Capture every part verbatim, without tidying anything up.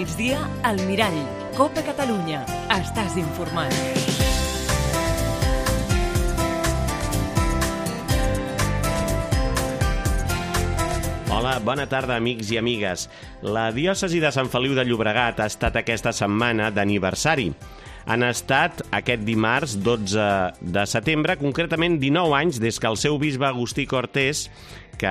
migdia, al Mirall. Copa Catalunya. Estàs informat. Hola, bona tarda, amics i amigues. La diòcesi de Sant Feliu de Llobregat ha estat aquesta setmana d'aniversari. Han estat aquest dimarts dotze de setembre, concretament dinou anys des que el seu bisbe Agustí Cortés, que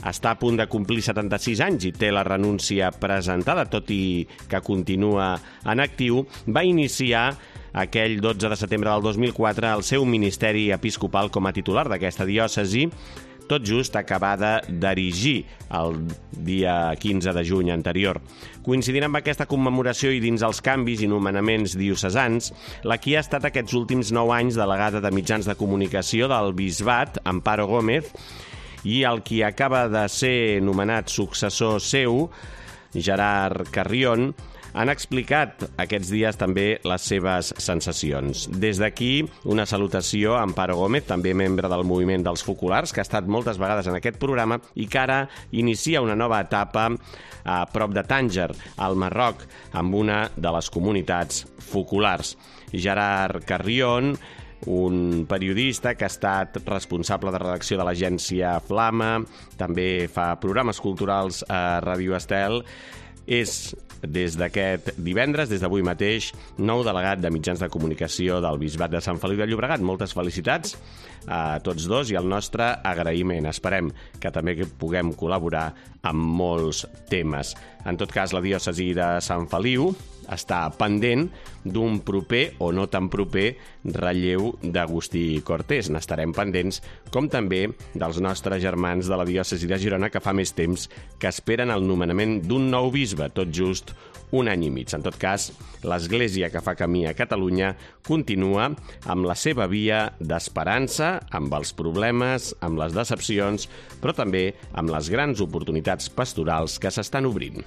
està a punt de complir setanta-sis anys i té la renúncia presentada, tot i que continua en actiu, va iniciar aquell dotze de setembre del dos mil quatre el seu ministeri episcopal com a titular d'aquesta diòcesi, tot just acabada d'erigir el dia quinze de juny anterior. Coincidint amb aquesta commemoració i dins els canvis i nomenaments diocesans, la qui ha estat aquests últims nou anys delegada de mitjans de comunicació del bisbat, Amparo Gómez, i el qui acaba de ser nomenat successor seu, Gerard Carrión, han explicat aquests dies també les seves sensacions. Des d'aquí, una salutació a Amparo Gómez, també membre del moviment dels Focolars, que ha estat moltes vegades en aquest programa i que ara inicia una nova etapa a prop de Tànger, al Marroc, amb una de les comunitats focolars. Gerard Carrión, un periodista que ha estat responsable de redacció de l'agència Flama, també fa programes culturals a Ràdio Estel, és des d'aquest divendres, des d'avui mateix, nou delegat de mitjans de comunicació del Bisbat de Sant Feliu de Llobregat. Moltes felicitats a tots dos i el nostre agraïment. Esperem que també puguem col·laborar amb molts temes. En tot cas, la diòcesi de Sant Feliu està pendent d'un proper o no tan proper relleu d'Agustí Cortés. N'estarem pendents, com també dels nostres germans de la diòcesi de Girona, que fa més temps que esperen el nomenament d'un nou bisbe, tot just un any i mig. En tot cas, l'Església que fa camí a Catalunya continua amb la seva via d'esperança, amb els problemes, amb les decepcions, però també amb les grans oportunitats pastorals que s'estan obrint.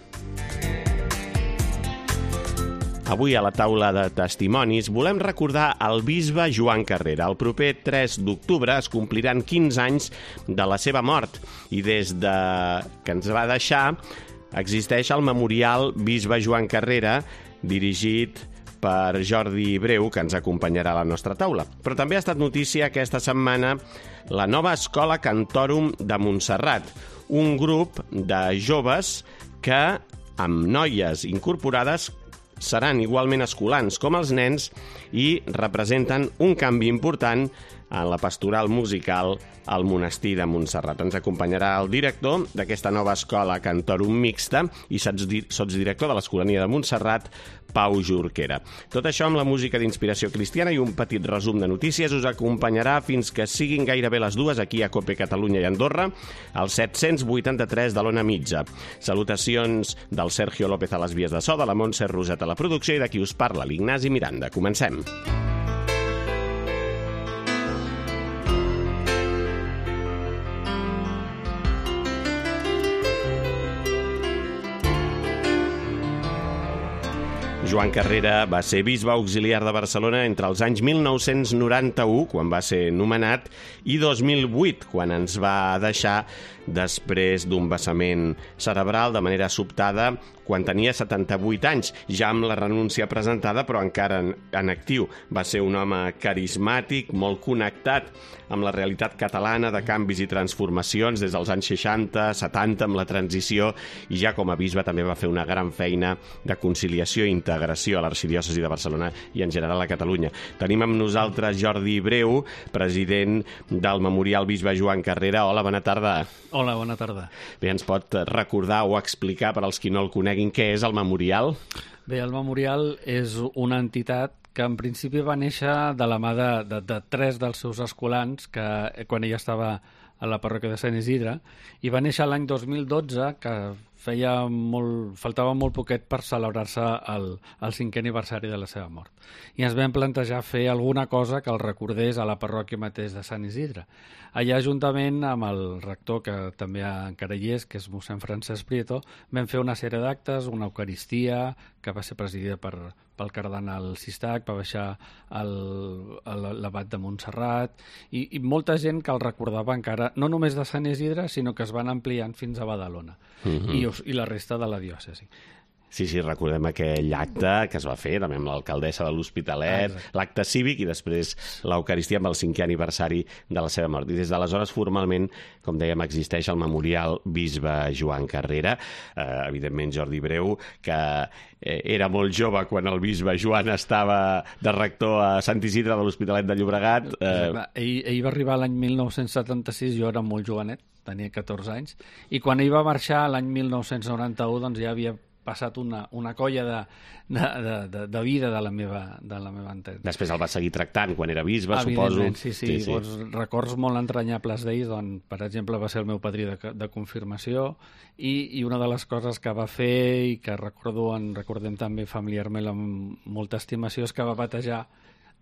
Avui a la taula de testimonis volem recordar el bisbe Joan Carrera. El proper tres d'octubre es compliran quinze anys de la seva mort i des de que ens va deixar existeix el memorial Bisbe Joan Carrera, dirigit per Jordi Breu, que ens acompanyarà a la nostra taula. Però també ha estat notícia aquesta setmana la nova Escola Cantorum de Montserrat, un grup de joves que, amb noies incorporades, seran igualment escolans com els nens i representen un canvi important en la pastoral musical al monestir de Montserrat. Ens acompanyarà el director d'aquesta nova escola Cantorum mixta i sotsdirector de l'Escolania de Montserrat, Pau Jorquera. Tot això amb la música d'inspiració cristiana i un petit resum de notícies us acompanyarà fins que siguin gairebé les dues aquí a Cope Catalunya i Andorra, al set-cents vuitanta-tres de l'Ona Mitja. Salutacions del Sergio López a les vies de so, de la Montse Roset a la producció i de qui us parla, l'Ignasi Miranda. Comencem. Joan Carrera va ser bisbe auxiliar de Barcelona entre els anys mil nou-cents noranta-u, quan va ser nomenat, i dos mil vuit, quan ens va deixar després d'un vessament cerebral de manera sobtada quan tenia setanta-vuit anys, ja amb la renúncia presentada, però encara en, en actiu. Va ser un home carismàtic, molt connectat amb la realitat catalana de canvis i transformacions des dels anys seixanta, setanta, amb la transició, i ja com a bisbe també va fer una gran feina de conciliació i integració a l'Arxidiòcesi de Barcelona i en general a Catalunya. Tenim amb nosaltres Jordi Breu, president del Memorial Bisbe Joan Carrera. Hola, bona tarda. Hola, bona tarda. Bé, ens pot recordar o explicar, per als qui no el coneguin, què és el Memorial? Bé, el Memorial és una entitat que en principi va néixer de la mà de, de, de tres dels seus escolans, que quan ella estava a la parròquia de Sant Isidre, i va néixer l'any dos mil dotze, que feia molt, faltava molt poquet per celebrar-se el, el cinquè aniversari de la seva mort. I ens vam plantejar fer alguna cosa que el recordés a la parròquia mateix de Sant Isidre. Allà, juntament amb el rector, que també encara hi és, que és mossèn Francesc Prieto, vam fer una sèrie d'actes, una eucaristia, que va ser presidida per, pel cardenal Sistac, va baixar l'abat de Montserrat, i, i molta gent que el recordava encara, no només de Sant Isidre, sinó que es van ampliant fins a Badalona, uh-huh. i, i la resta de la diòcesi. Sí, sí, recordem aquell acte que es va fer també amb l'alcaldessa de l'Hospitalet, ah, l'acte cívic i després l'Eucaristia amb el cinquè aniversari de la seva mort. I des d'aleshores, formalment, com dèiem, existeix el memorial Bisbe Joan Carrera. Eh, evidentment, Jordi Breu, que eh, era molt jove quan el bisbe Joan estava de rector a Sant Isidre de l'Hospitalet de Llobregat. Eh... Ell, ell va arribar l'any mil nou-cents setanta-sis, jo era molt jovenet, tenia catorze anys, i quan ell va marxar l'any mil nou-cents noranta-u doncs ja havia passat una, una colla de, de, de, de vida de la meva, de la meva entesa. Després el va seguir tractant quan era bisbe, suposo. Sí, sí, sí, sí. Doncs, records molt entranyables d'ell, doncs, per exemple, va ser el meu padrí de, de confirmació i, i una de les coses que va fer i que recordo, en recordem també familiarment amb molta estimació, és que va batejar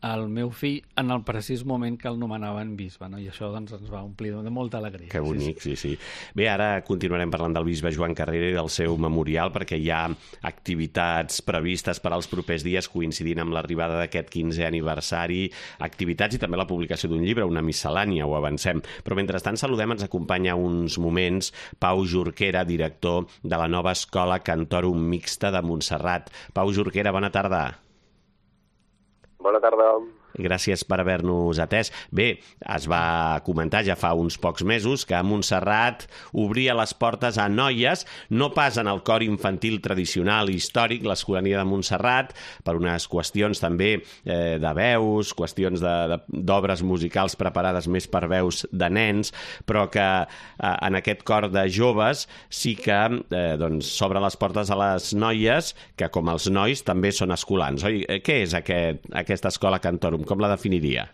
el meu fill en el precís moment que el nomenaven bisbe, no? I això doncs, ens va omplir de molta alegria. Que bonic, sí, sí. Bé, ara continuarem parlant del bisbe Joan Carrera i del seu memorial, perquè hi ha activitats previstes per als propers dies coincidint amb l'arribada d'aquest quinzè aniversari, activitats i també la publicació d'un llibre, una miscel·lània, ho avancem. Però mentrestant saludem, ens acompanya uns moments Pau Jorquera, director de la nova Escola Cantorum Mixta de Montserrat. Pau Jorquera, bona tarda. Bona tarda. Gràcies per haver-nos atès. Bé, es va comentar ja fa uns pocs mesos que a Montserrat obria les portes a noies, no pas en el cor infantil tradicional i històric, l'Escolania de Montserrat, per unes qüestions també eh, de veus, qüestions d'obres musicals preparades més per veus de nens, però que eh, en aquest cor de joves sí que eh, doncs, s'obre les portes a les noies, que com els nois també són escolans. Oi? Què és aquest, aquesta escola Cantorum? Com la definiria?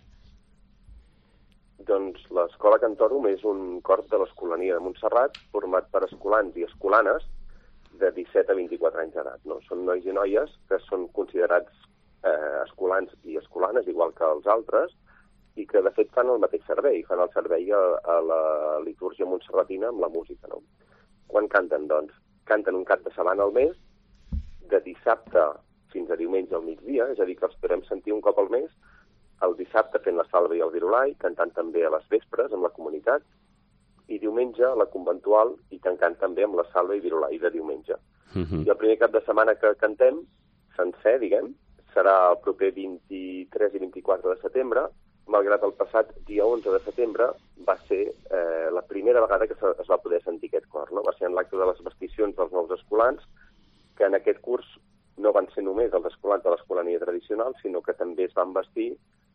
Doncs l'Escola Cantorum és un cor de l'Escolania de Montserrat format per escolans i escolanes de disset a vint-i-quatre anys d'edat. No? Són nois i noies que són considerats eh, escolans i escolanes, igual que els altres, i que de fet fan el mateix servei, fan el servei a, a la litúrgia montserratina amb la música. No? Quan canten? Doncs canten un cap de setmana al mes, de dissabte fins a diumenge al migdia, és a dir, que els podem sentir un cop al mes, el dissabte fent la salva i el virulai, cantant també a les vespres amb la comunitat, i diumenge la conventual i tancant també amb la salva i virulai de diumenge. Uh-huh. I el primer cap de setmana que cantem, sencer, diguem, serà el proper vint-i-tres i vint-i-quatre de setembre, malgrat el passat dia onze de setembre va ser eh, la primera vegada que es va poder sentir aquest cor. No? Va ser en l'acte de les vesticions dels nous escolans, que en aquest curs no van ser només els escolans de l'escolania tradicional, sinó que també es van vestir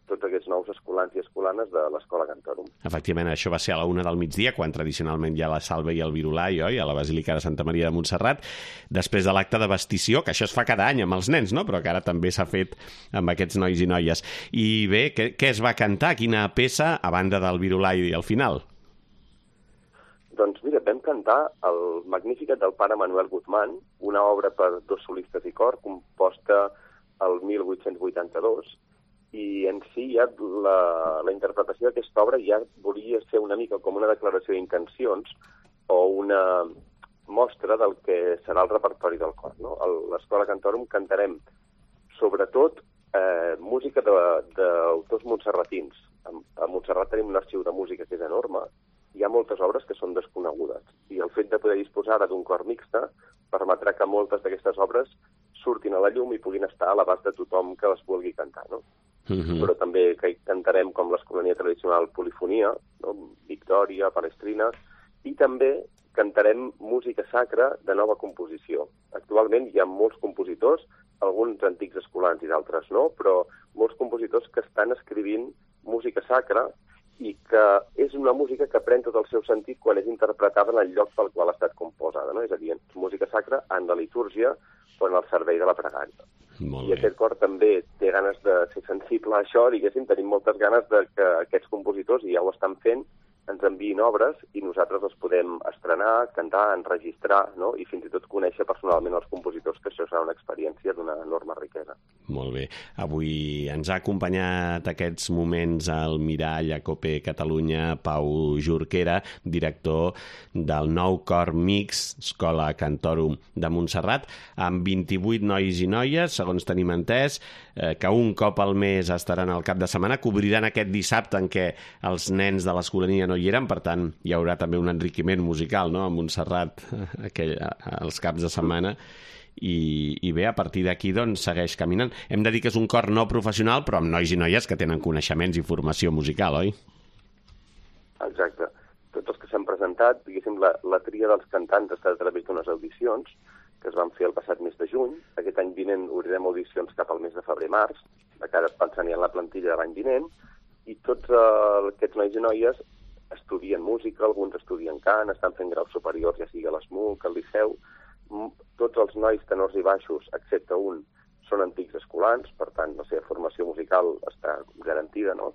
tots aquests nous escolans i escolanes de l'Escola Cantorum. Efectivament, això va ser a la una del migdia, quan tradicionalment hi ha la salva i el virulai, oi? A la Basílica de Santa Maria de Montserrat, després de l'acte de vestició, que això es fa cada any amb els nens, no? Però que ara també s'ha fet amb aquests nois i noies. I bé, què, què es va cantar? Quina peça, a banda del virulai al final? Doncs mira, vam cantar el Magnificat del pare Manuel Guzmán, una obra per dos solistes i cor, composta el mil vuit-cents vuitanta-dos, i en si ja la, la interpretació d'aquesta obra ja volia ser una mica com una declaració d'intencions o una mostra del que serà el repertori del cor. No? A l'Escola Cantorum cantarem sobretot eh, música d'autors montserratins. A, a Montserrat tenim un arxiu de música que és enorme, hi ha moltes obres que són desconegudes i el fet de poder disposar d'un cor mixta permetrà que moltes d'aquestes obres surtin a la llum i puguin estar a l'abast de tothom que les vulgui cantar, no? Uh-huh. Però també que cantarem com l'escolania tradicional Polifonia, no? Victòria, Palestrina, i també cantarem música sacra de nova composició. Actualment hi ha molts compositors, alguns antics escolans i d'altres no, però molts compositors que estan escrivint música sacra i que és una música que pren tot el seu sentit quan és interpretada en el lloc pel qual ha estat composada, no? És a dir, música sacra en la litúrgia o en el servei de la pregària. I aquest cor també té ganes de ser sensible a això, diguéssim, tenim moltes ganes de que aquests compositors, i ja ho estan fent, ens enviïn obres i nosaltres les podem estrenar, cantar, enregistrar, no? I fins i tot conèixer personalment els compositors, que això serà una experiència d'una enorme riquesa. Molt bé. Avui ens ha acompanyat aquests moments al Mirall a Cope Catalunya Pau Jorquera, director del nou cor mix Escola Cantorum de Montserrat, amb vint-i-vuit nois i noies, segons tenim entès, eh, que un cop al mes estaran al cap de setmana, cobriran aquest dissabte en què els nens de l'escolania no hi eren, per tant hi haurà també un enriquiment musical, no?, a Montserrat aquell, als caps de setmana, i, i bé, a partir d'aquí doncs, segueix caminant. Hem de dir que és un cor no professional, però amb nois i noies que tenen coneixements i formació musical, oi? Exacte. Tots els que s'han presentat, diguéssim, la, la tria dels cantants està a través d'unes audicions que es van fer el passat mes de juny. Aquest any vinent obrirem audicions cap al mes de febrer-març, de cara pensant ja en la plantilla de l'any vinent, i tots uh, aquests nois i noies estudien música, alguns estudien cant, estan fent graus superiors, ja sigui a l'ESMUC, al Liceu. Tots els nois tenors i baixos, excepte un, són antics escolans, per tant, la seva formació musical està garantida, no?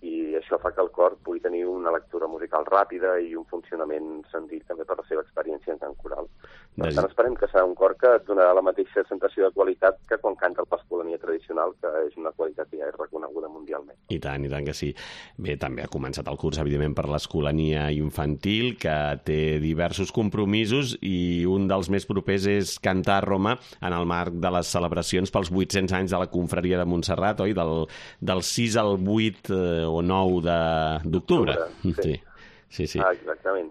I això fa que el cor pugui tenir una lectura musical ràpida i un funcionament senzill també per la seva experiència en cant coral. Per tant, esperem que serà un cor que et donarà la mateixa sensació de qualitat que quan canta l'escolania tradicional, que és una qualitat que ja és reconeguda mundialment. I tant, i tant que sí. Bé, també ha començat el curs, evidentment, per l'escolania infantil, que té diversos compromisos i un dels més propers és cantar a Roma en el marc de les celebracions pels vuit-cents anys de la confraria de Montserrat, oi? Del, del sis al vuit eh, o nou d'octubre. Sí. Sí, sí. Ah, exactament.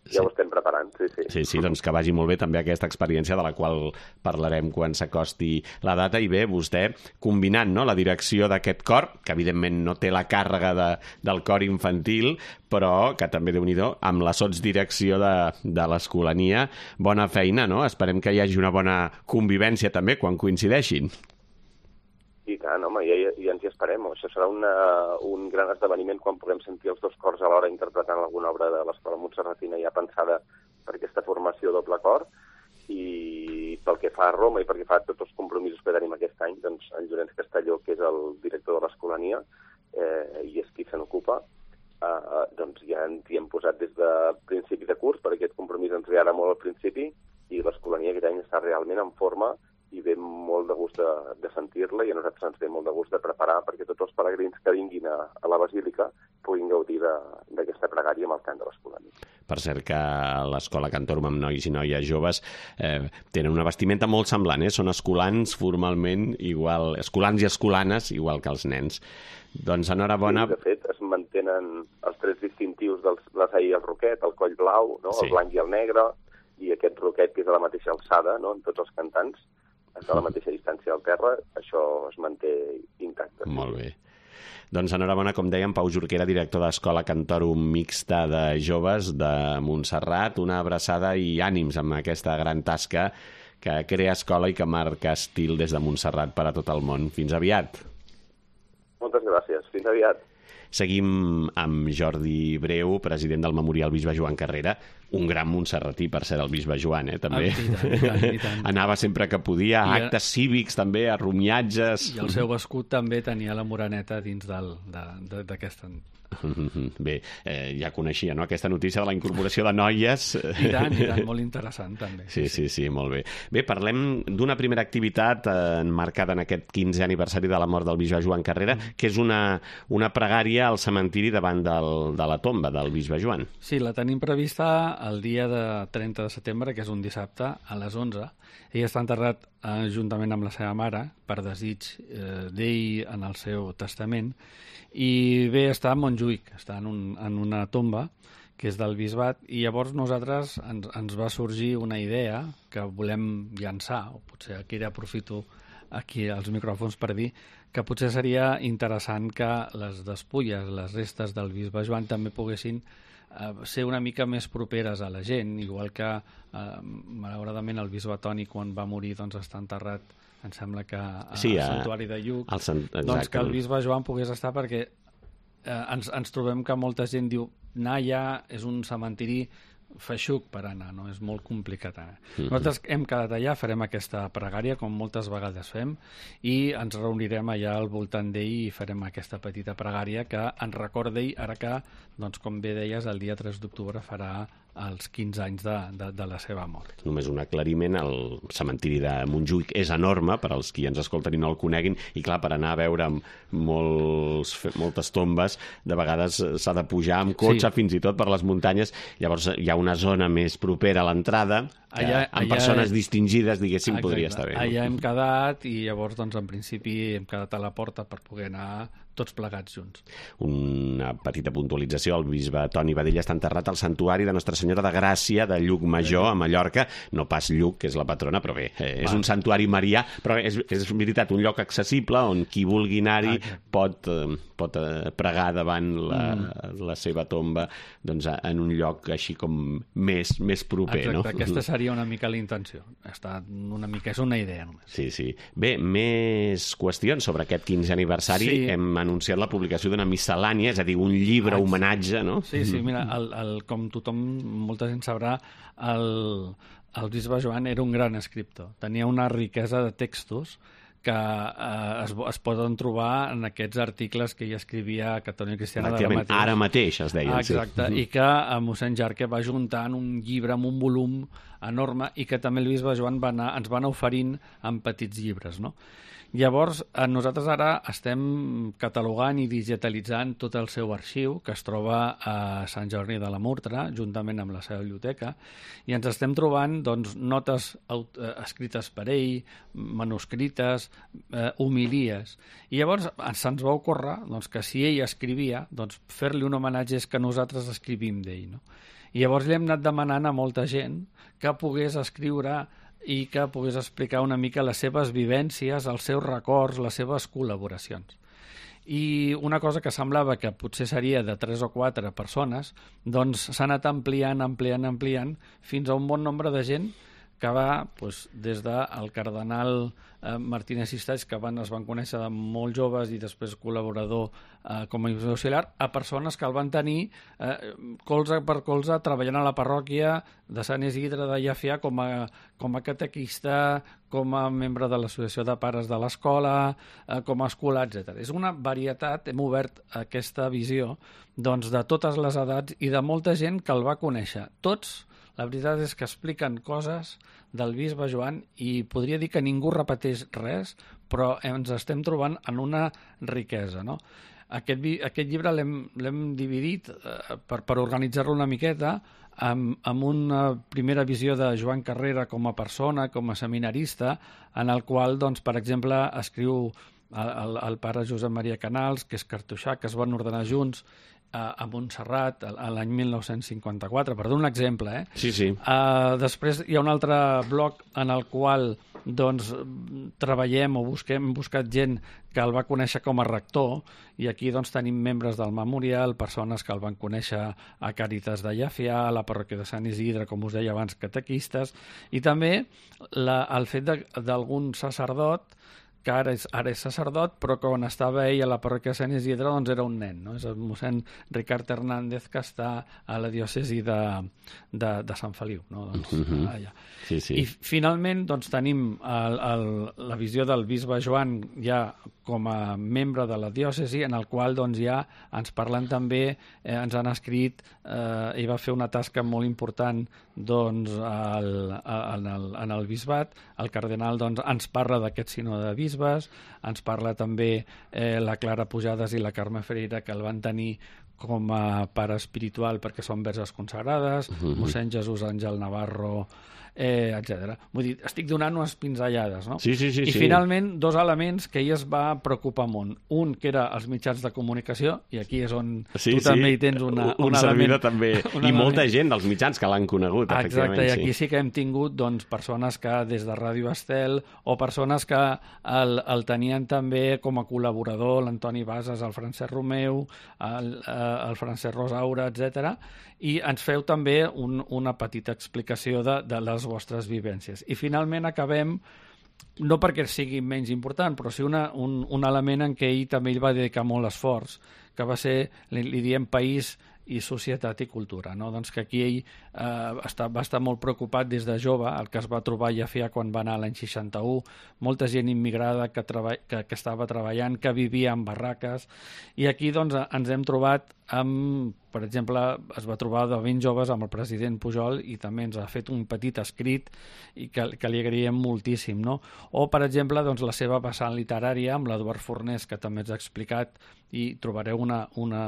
Ja sí. Ho estem preparant, sí, sí. Sí, sí, doncs que vagi molt bé també aquesta experiència de la qual parlarem quan s'acosti la data. I bé, vostè combinant, no?, la direcció d'aquest cor, que evidentment no té la càrrega de, del cor infantil, però que també, Déu-n'hi-do, amb la sotsdirecció de, de l'escolania, bona feina, no? Esperem que hi hagi una bona convivència també quan coincideixin. I tant, home, ja, ja ens hi esperem. Això serà una, un gran esdeveniment quan puguem sentir els dos cors alhora interpretant alguna obra de l'Escola Montserratina ja pensada per aquesta formació doble cor. I pel que fa a Roma i pel que fa a tots els compromisos que tenim aquest any, doncs en Llorenç Castelló, que és el director de l'Escolania, eh, i és qui se n'ocupa, eh, doncs ja ens hi hem posat des de principi de curs, perquè aquest compromís ens ve ara molt al principi, i l'Escolania aquest any està realment en forma i ve molt de gust de, de sentir-la, i a nosaltres ens ve molt de gust de preparar perquè tots els peregrins que vinguin a, a la Basílica puguin gaudir d'aquesta pregària amb el cant de l'Escolania. Per cert que l'Escola Cantorum amb nois i noies joves eh, tenen una vestimenta molt semblant, eh? Són escolans formalment igual, escolans i escolanes igual que els nens. Doncs enhorabona. Sí, de fet, es mantenen els tres distintius dels l'assaí i el roquet, el coll blau, no? Sí. El blanc i el negre, i aquest roquet que és a la mateixa alçada, no?, en tots els cantants, a la mateixa distància al terra, això es manté intacte. Molt bé. Doncs enhorabona, com dèiem, Pau Jorquera, director d'Escola Cantorum Mixta de Joves de Montserrat. Una abraçada i ànims amb aquesta gran tasca que crea escola i que marca estil des de Montserrat per a tot el món. Fins aviat. Moltes gràcies. Fins aviat. Seguim amb Jordi Breu, president del Memorial Bisbe Joan Carrera, un gran montserratí, per ser el Bisbe Joan, eh, també. Ah, i tant, i tant, i tant. Anava sempre que podia, a actes a... cívics també, a romiatges... I el seu escut també tenia la moreneta dins d'aquesta... Bé, eh, ja coneixia, no?, aquesta notícia de la incorporació de noies. I tant, i tant, molt interessant també. Sí, sí, sí, molt bé. Bé, parlem d'una primera activitat eh, enmarcada en aquest quinzè aniversari de la mort del Bisbe Joan Carrera, mm. que és una, una pregària al cementiri davant del, de la tomba del Bisbe Joan. Sí, la tenim prevista el dia de trenta de setembre, que és un dissabte, a les onze. Ell està enterrat eh, juntament amb la seva mare, per desig eh, d'ell en el seu testament, i bé, està a Montjuïc, està en, un, en una tomba que és del bisbat, i llavors nosaltres ens, ens va sorgir una idea que volem llançar, o potser aquí aprofito aquí els micròfons per dir que potser seria interessant que les despulles, les restes del bisbe Joan també poguessin eh, ser una mica més properes a la gent, igual que eh, malauradament el bisbe Toni quan va morir doncs està enterrat, em sembla que al sí, santuari de Lluc, sant... doncs que el bisbe Joan pogués estar, perquè eh, ens, ens trobem que molta gent diu anar allà és un cementiri feixuc per anar, no? És molt complicat anar. Mm-hmm. Nosaltres hem quedat allà, farem aquesta pregària com moltes vegades fem, i ens reunirem allà al voltant d'ell i farem aquesta petita pregària que ens recorda ell, ara que, doncs, com bé deies, el dia tres d'octubre farà els quinze anys de, de, de la seva mort. Només un aclariment, el cementiri de Montjuïc és enorme, per als qui ens escolten i no el coneguin, i clar, per anar a veure molts, moltes tombes, de vegades s'ha de pujar amb cotxe, sí, fins i tot per les muntanyes, llavors hi ha una zona més propera a l'entrada, allà, amb allà, persones distingides, diguéssim, exacte, podria estar bé. No? Allà hem quedat i llavors, doncs, en principi hem quedat a la porta per poder anar tots plegats junts. Una petita puntualització, el bisbe Toni Badella està enterrat al santuari de Nostra Senyora de Gràcia de Llucmajor, a Mallorca, no pas Lluc, que és la patrona, però bé, eh, és Va. un santuari marià, però és, és veritat, un lloc accessible on qui vulgui anar-hi ah, pot, eh, pot eh, pregar davant la, mm. la seva tomba, doncs, en un lloc així com més, més proper. Exacte, no? Aquesta seria una mica la intenció. Està una mica, és una idea només. Sí, sí. Bé, més qüestions sobre aquest quinzè aniversari. Sí. Hem anunciat la publicació d'una miscel·lània, és a dir, un llibre ah, homenatge, no? Sí, sí, mira, el, el, com tothom, molta gent sabrà, el, el bisbe Joan era un gran escriptor. Tenia una riquesa de textos que eh, es, es poden trobar en aquests articles que ell escrivia a Catòlica Cristiana d'ara mateix. Ara mateix, es deien. Exacte, sí. I que a mossèn Jarque va juntant un llibre amb un volum enorme i que també el bisbe Joan va anar, ens va anar oferint en petits llibres, no? Llavors, nosaltres ara estem catalogant i digitalitzant tot el seu arxiu, que es troba a Sant Jordi de la Murtra, juntament amb la seva biblioteca, i ens estem trobant doncs, notes escrites per ell, manuscrites, eh, homilies. I llavors se'ns va ocórrer doncs, que si ell escrivia, doncs, fer-li un homenatge és que nosaltres escrivim d'ell. No? I llavors li hem anat demanant a molta gent que pogués escriure i que pogués explicar una mica les seves vivències, els seus records, les seves col·laboracions. I una cosa que semblava que potser seria de tres o quatre persones, doncs s'ha anat ampliant, ampliant, ampliant, fins a un bon nombre de gent que va doncs, des del cardenal eh, Martínez Sistaix, que van, es van conèixer de molt joves i després col·laborador eh, com a auxiliar, a persones que el van tenir eh, colze per colze treballant a la parròquia de Sant Isidre de Llefià com a, com a catequista, com a membre de l'associació de pares de l'escola, eh, com a escolar, etcètera. És una varietat, hem obert aquesta visió doncs, de totes les edats i de molta gent que el va conèixer. Tots, la veritat és que expliquen coses del bisbe Joan i podria dir que ningú repeteix res, però ens estem trobant en una riquesa, no? Aquest, aquest llibre l'hem dividit eh, per, per organitzar-lo una miqueta amb, amb una primera visió de Joan Carrera com a persona, com a seminarista, en el qual, doncs, per exemple, escriu el, el pare Josep Maria Canals, que és cartoixà, que es van ordenar junts a Montserrat l'any mil nou-cents cinquanta-quatre, per donar un exemple. Eh? Sí, sí. Uh, després hi ha un altre bloc en el qual doncs, treballem o busquem, hem buscat gent que el va conèixer com a rector i aquí doncs, tenim membres del memorial, persones que el van conèixer a Càritas de Llefià, a la parròquia de Sant Isidre, com us deia abans, catequistes, i també la, el fet d'algun sacerdot que ara és, ara és sacerdot, però quan estava ell a la parròquia de Sant Isidre doncs era un nen, no? És el mossèn Ricard Hernández, que està a la diòcesi de, de, de Sant Feliu, no? Doncs, uh-huh. allà. Sí, sí. I finalment doncs, tenim el, el, la visió del bisbe Joan ja com a membre de la diòcesi, en el qual doncs, ja ens parlen també, eh, ens han escrit, eh, i va fer una tasca molt important doncs, al, en, el, en el bisbat. El cardenal doncs, ens parla d'aquest sinó de bisbes, ens parla també eh, la Clara Pujades i la Carme Ferreira, que el van tenir com a pare espiritual perquè són verges consagrades, uh-huh. mossèn Jesús Àngel Navarro, eh, etcètera. Vull dir, estic donant unes pinzellades, no? Sí, sí, sí. I sí. finalment, dos elements que ell es va preocupar molt. Un, que era els mitjans de comunicació, i aquí és on sí, tu sí. també hi tens una, un, un element. També. Un I element. Molta gent dels mitjans que l'han conegut, exacte, efectivament. I aquí sí. sí que hem tingut doncs, persones que des de Ràdio Estel o persones que el, el tenien també com a col·laborador, l'Antoni Bases, el Francesc Romeu, el, el Francesc Rosaura, etcètera. I ens feu també un, una petita explicació de, de les vostres vivències. I finalment acabem, no perquè sigui menys important, però sí una, un, un element en què ell també ell va dedicar molt esforç, que va ser, li, li diem, país i societat i cultura, no? Doncs que aquí ell eh, està, va estar molt preocupat des de jove, el que es va trobar a Llefià quan va anar l'any seixanta-u, molta gent immigrada que, treba, que, que estava treballant, que vivia en barraques, i aquí doncs, ens hem trobat amb, per exemple, es va trobar de ben joves amb el president Pujol i també ens ha fet un petit escrit i que, que li agraïm moltíssim, no? O, per exemple, doncs, la seva vessant literària amb l'Eduard Fornés, que també ens ha explicat, i trobareu una, una,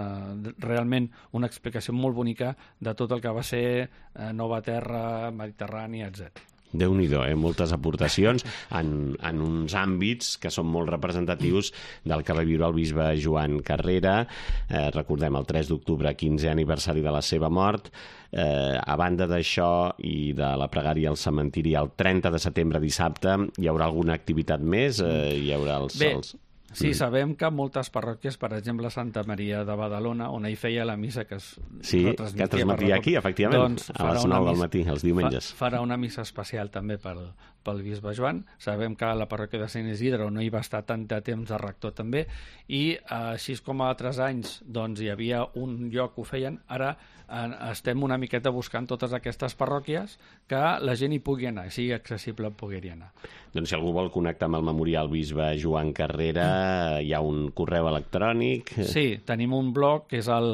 realment una explicació molt bonica de tot el que va ser eh, Nova Terra, Mediterrània, etcètera. Déu-n'hi-do, eh? Moltes aportacions en, en uns àmbits que són molt representatius del que va viure el bisbe Joan Carrera. Eh, recordem el tres d'octubre, quinzè aniversari de la seva mort. Eh, a banda d'això i de la pregària al cementiri, el trenta de setembre, dissabte, hi haurà alguna activitat més? Eh, hi haurà els... Bé, els... sí, sabem que moltes parròquies, per exemple, Santa Maria de Badalona, on ell feia la missa que es sí, retransmetia, que transmetia aquí, efectivament, doncs, a les nou del matí, els diumenges. Fa, farà una missa especial també pel, pel bisbe Joan. Sabem que a la parròquia de Sant Isidre, on no hi va estar tant de temps de rector també, i així com a altres anys doncs, hi havia un lloc que ho feien, ara eh, estem una miqueta buscant totes aquestes parròquies que la gent hi pugui anar, sigui accessible poder-hi anar. Doncs si algú vol connectar amb el memorial bisbe Joan Carrera, hi ha un correu electrònic... Sí, tenim un blog que és el,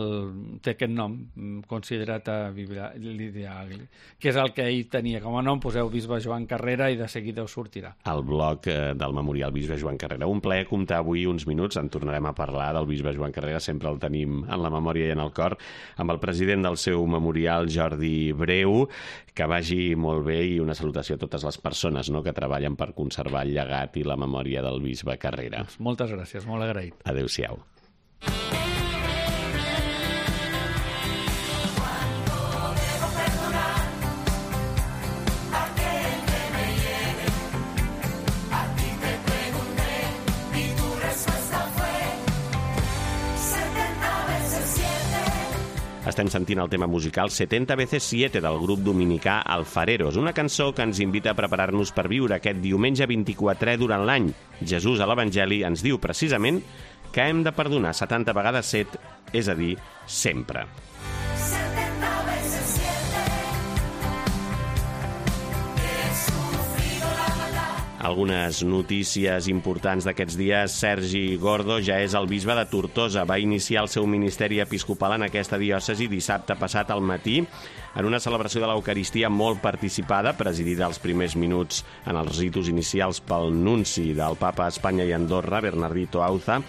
té aquest nom, considerat a l'ideal, que és el que ell tenia. Com a nom poseu bisbe Joan Carrera i de seguida us sortirà. El blog del memorial bisbe Joan Carrera. Un plaer comptar avui uns minuts, en tornarem a parlar del bisbe Joan Carrera, sempre el tenim en la memòria i en el cor, amb el president del seu memorial, Jordi Breu, que vagi molt bé i una salutació a totes les persones, no?, que treballen per conservar el llegat i la memòria del bisbe Carrera. Moltes gràcies, molt agraït. Adéu-siau. Estem sentint el tema musical setenta veces siete del grup dominicà Alfareros, una cançó que ens invita a preparar-nos per viure aquest diumenge vint-i-quatrè durant l'any. Jesús a l'Evangeli ens diu precisament que hem de perdonar setanta vegades set, és a dir, sempre. Algunes notícies importants d'aquests dies. Sergi Gordo ja és el bisbe de Tortosa. Va iniciar el seu ministeri episcopal en aquesta diòcesi dissabte passat al matí en una celebració de l'Eucaristia molt participada, presidida als primers minuts en els ritus inicials pel nunci del papa a Espanya i Andorra, Bernardito Auza,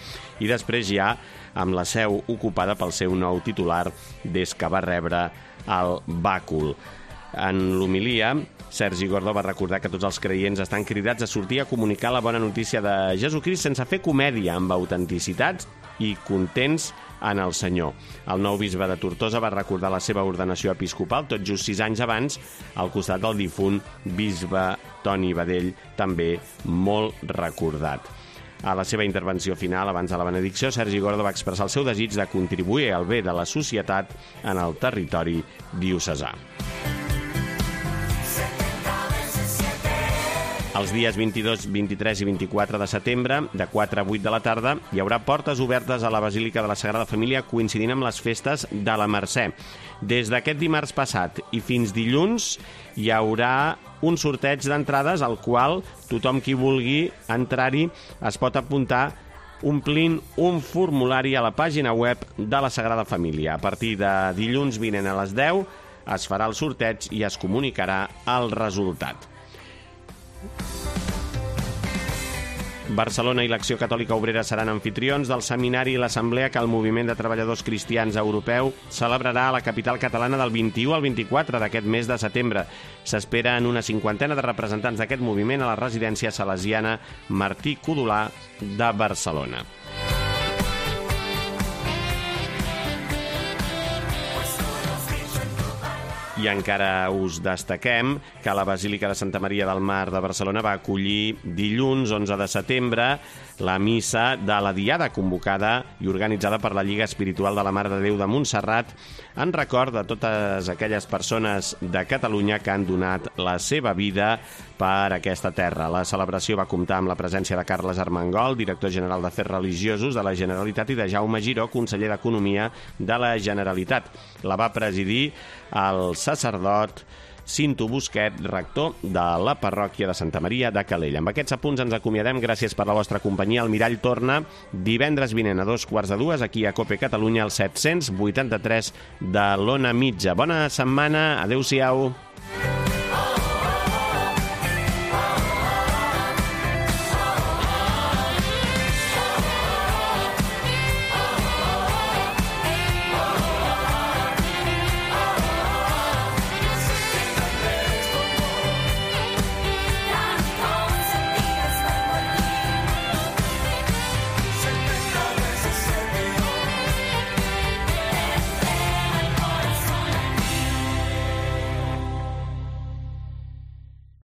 i després ja amb la seu ocupada pel seu nou titular des que va rebre el bàcul. En l'homilia, Sergi Gordo va recordar que tots els creients estan cridats a sortir a comunicar la bona notícia de Jesucrist sense fer comèdia, amb autenticitat i contents en el Senyor. El nou bisbe de Tortosa va recordar la seva ordenació episcopal tot just sis anys abans, al costat del difunt bisbe Toni Badell, també molt recordat. A la seva intervenció final, abans de la benedicció, Sergi Gordo va expressar el seu desig de contribuir al bé de la societat en el territori diocesà. Els dies vint-i-dos, vint-i-tres i vint-i-quatre de setembre, de quatre a vuit de la tarda, hi haurà portes obertes a la Basílica de la Sagrada Família coincidint amb les festes de la Mercè. Des d'aquest dimarts passat i fins dilluns hi haurà un sorteig d'entrades al qual tothom qui vulgui entrar-hi es pot apuntar omplint un formulari a la pàgina web de la Sagrada Família. A partir de dilluns vinent a les deu es farà el sorteig i es comunicarà el resultat. Barcelona i l'Acció Catòlica Obrera seran anfitrions del seminari i l'assemblea que el Moviment de Treballadors Cristians Europeu celebrarà a la capital catalana del vint-i-u al vint-i-quatre d'aquest mes de setembre. S'espera en una cinquantena de representants d'aquest moviment a la residència salesiana Martí Codolà de Barcelona. I encara us destaquem que la Basílica de Santa Maria del Mar de Barcelona va acollir dilluns onze de setembre la missa de la Diada convocada i organitzada per la Lliga Espiritual de la Mare de Déu de Montserrat en record de totes aquelles persones de Catalunya que han donat la seva vida per aquesta terra. La celebració va comptar amb la presència de Carles Armengol, director general d'Afers Religiosos de la Generalitat, i de Jaume Giró, conseller d'Economia de la Generalitat. La va presidir el sacerdot Cinto Busquet, rector de la parròquia de Santa Maria de Calella. Amb aquests apunts ens acomiadem. Gràcies per la vostra companyia. El Mirall torna divendres vinent a dos quarts de dues aquí a COPE Catalunya, al set-cents vuitanta-tres de l'Ona Mitja. Bona setmana. Adéu-siau.